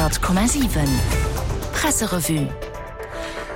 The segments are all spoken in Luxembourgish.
100,7 Presserevue.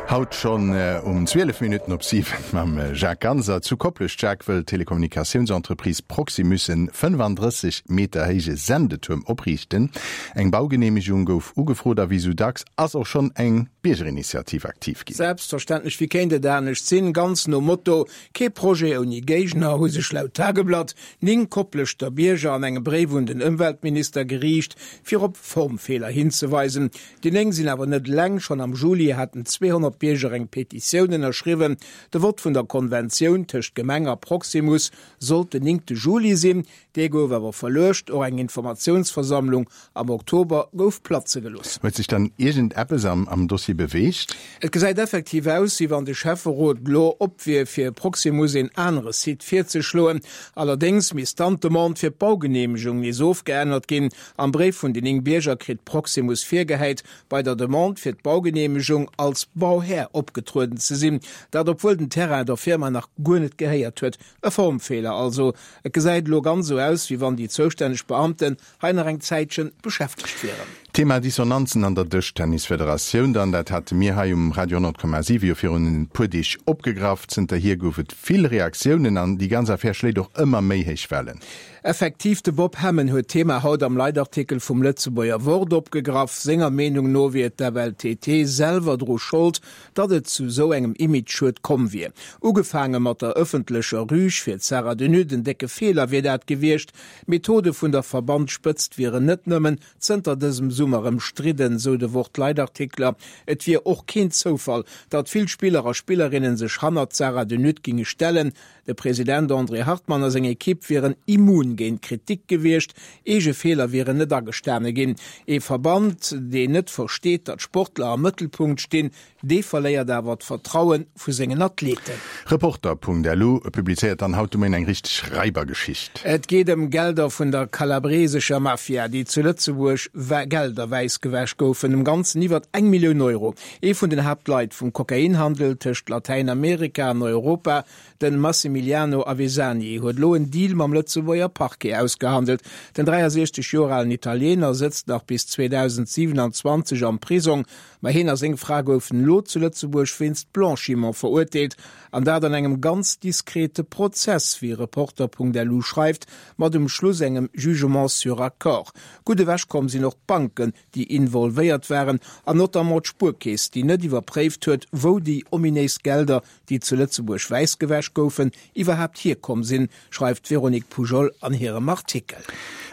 Haut schonn um 12 Minutten op 7 mam Jacques Ganser. Zu Koplescht, Jacques, wëll d'Telekommunikatiounsentreprise Proximus en 35 Meter héije Sendetuerm opriichten. Eng Baugeneemegung gouf ugefrot a wéi sou dacks ass och schonn eng Biergerinitiativ aktiv ginn. Selbstverständlech, wéi kéint et anescht sinn? Ganz nom Motto Kee Projet ouni Géigner hu sech laut Tageblatt 9 Kopleschter Bierger an engem Bréif un den Ëmweltminister geriicht, fir op Formfeeler hinzeweisen. Déi 9 sinn awer net eleng, schonn am Juli haten 200 Bierger eng Petitioun ënnerschriwwen. De Vott vun der Konventioun tëscht Gemeng a Proximus sollt den 9 Juli sinn. Dee gouf awer verluecht. Och eng Informatiounsversammlung am Oktober gouf platze gelooss. Huet sech dann iergend eppes am Dossier beweegt? Et gesäit effektiv aus, wéi wann de Schäfferot lo op wier, fir Proximus een anere Site virzeschloen. Allerdéngs misst dann d'Demande fir d'Baugeneemegung nees ofgeännert ginn. Am Bréif vun den 9 Bierger kritt Proximus virgehäit, bei der Demande fir d'Baugeneemegung als Bauhär opgetrueden ze sinn. Dat obwuel den Terrain der Firma nach guer net gehéiert huet. E Formfeeler also. Et gesäit elo ganz esou aus, wéi wann déi zoustänneg Beamten hei nach eng Zäitchen beschäftegt wieren. Thema Dissonanzen an der Dëschtennisfederatioun dann, dat hate mir hei um Radio 100,7 jo virun e puer Deeg opgegraff. Zënterhier gouf et vill Reaktiounen an déi ganz Affär schléit och ëmmer méi héich Wellen. Effektiv, de Bob Hemmen huet d'Thema haut am Leitartikel vum Lëtzebuerger Wort opgegraff. Senger Meenung no wier d'FLTT selwer dru Schold, datt et zu sou engem Imageschued komm wier. Ugefaange mat der ëffentlecher Rüg fir d'Sarah de Nutte, en décke Feeler wier dat gewiescht. D'Methode vun der Verbandsspëtzt wieren net nëmmen zënter dësem Summer ëmstridden, sou de Wort-Leitartikler. Et wier och keen Zoufall, datt vill Spiller a Spillerinnen sech hannert d'Sarah de Nutte ginge stellen. De President André Hartmann a seng Ekipp wieren immun géint Kritik gewiescht, eege Feeler wieren net agestane ginn. Ee Verband, deen net versteet, datt Sportler am Mëttelpunkt stinn, dee verléiert awer d'Vertraue vu sengen Athleten. Reporter.lu publizéiert dann haut de Moien eng richteg Raibergeschicht. Et geet ëm Gelder vun der kalabresescher Mafia, déi zu Lëtzebuerg Gelder wäissgewäsch goufen, am Ganzen iwwert eng Millioun Euro. Ee vun den Haaptleit vum Kokainhandel tëscht Latäinamerika an Europa, de Massimiliano Avesani, huet elo en Deal mam Lëtzebuerger Parquet ausgehandelt. Den 63 Joer alen Italiener sëtzt nach bis 2027 am Prisong, ma hien a seng Fra goufen elo zu Lëtzebuerg wéinst Blanchiment verurteelt, an dat an engem ganz diskrete Prozess, wéi Reporter.lu schreift, mat um Schluss engem Jugement sur accord. Gutt ewechkomm sinn och d'Banken, déi involvéiert waren, an notamment d'Spuerkeess, déi net iwwerpréift huet, wou déi ominéis Gelder, déi zu Lëtzebuerg wäissgewäsch goufen, iwwerhaapt hierkomm sinn, schreift d'Véronique Poujol an hirem Artikel.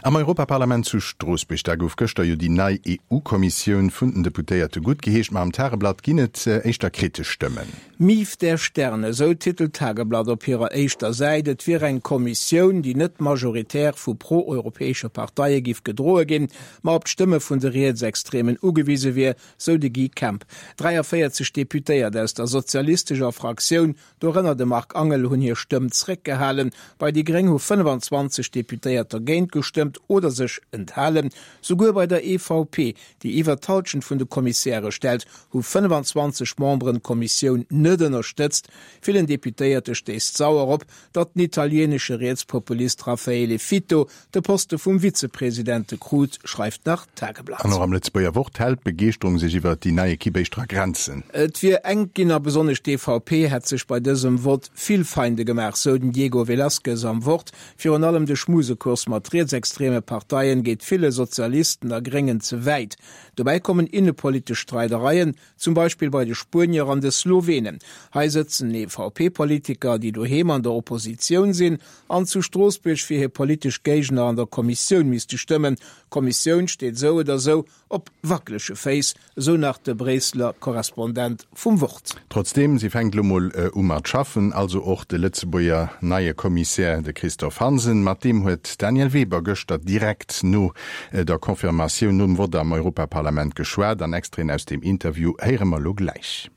Am Europaparlament zu Stroossbuerg, da gouf gëschter jo déi nei EU-Kommissioun vun den Deputéierte guttgeheescht. Ma am Tageblatt ginn et éischter kritesch Stëmmen. Mief der Sterne, esou titelt d'Tageblatt op hirer éischter Säit. Et wier eng Kommissioun, déi net majoritär vu pro-europäesche Parteie giff gedroe ginn, ma op d'Stëmme vun de Rietsextremen ugewise wier, sou de Guy Kemp. 43 Deputéiert aus der sozialistescher Fraktioun, dorënner de Marc Angel, hunn hir Stëmm zréckgehalen. Bei déi Gréng hu 25 Deputéiert dergéint gestëmmt oder sech enthalen. Souguer bei der EVP, déi iwwer d'Halschent vun de Kommissäre stellt, hu 25 Memberen d'Kommissioun net ënnerstëtzt. Villen Deputéierte stéisst sauer op, datt den italienesche Rietspopulist Raffaele Fitto de Poste vum Vizepresidente krut, schreift nach d'Tageblatt. An och am Lëtzebuerger Wort hält d'Begeeschterung sech iwwer déi nei Ekipp éischter a Grenzen. Et wier enk ginn a besonnesch d'EVP hätt sech bei dësem Vott vill Feinde gemaach, sou den Diego Velázquez am Wort. Virun allem de Schmusekurs mat rietsextreme Parteien geet ville Sozialisten a Gréngen ze wäit. Dobäi kommen innepolitesch Streidereien, zum Beispill bei de Spuenier an de Slowenen. Hei sëtzen EVP-Politiker, déi doheem an der Oppositioun sinn an zu Stroossbuerg fir hir politesch Géigner an der Kommissioun misste stëmmen. D'Kommissioun steet esou oder esou Op wackelege Féiss, esou nach de Bréisseler Korrespondent vum Wort. Trotzdeem, si fänkt elo mol u mat schaffen, also och de Lëtzebuerger neie Kommissär, de Christophe Hansen. Mat deem huet d'Danièle Weber gëschter direkt no der Confirmatioun nom Vott am Europaparlament geschwat. An Extraiten aus deem Interview héiere mer elo gläich.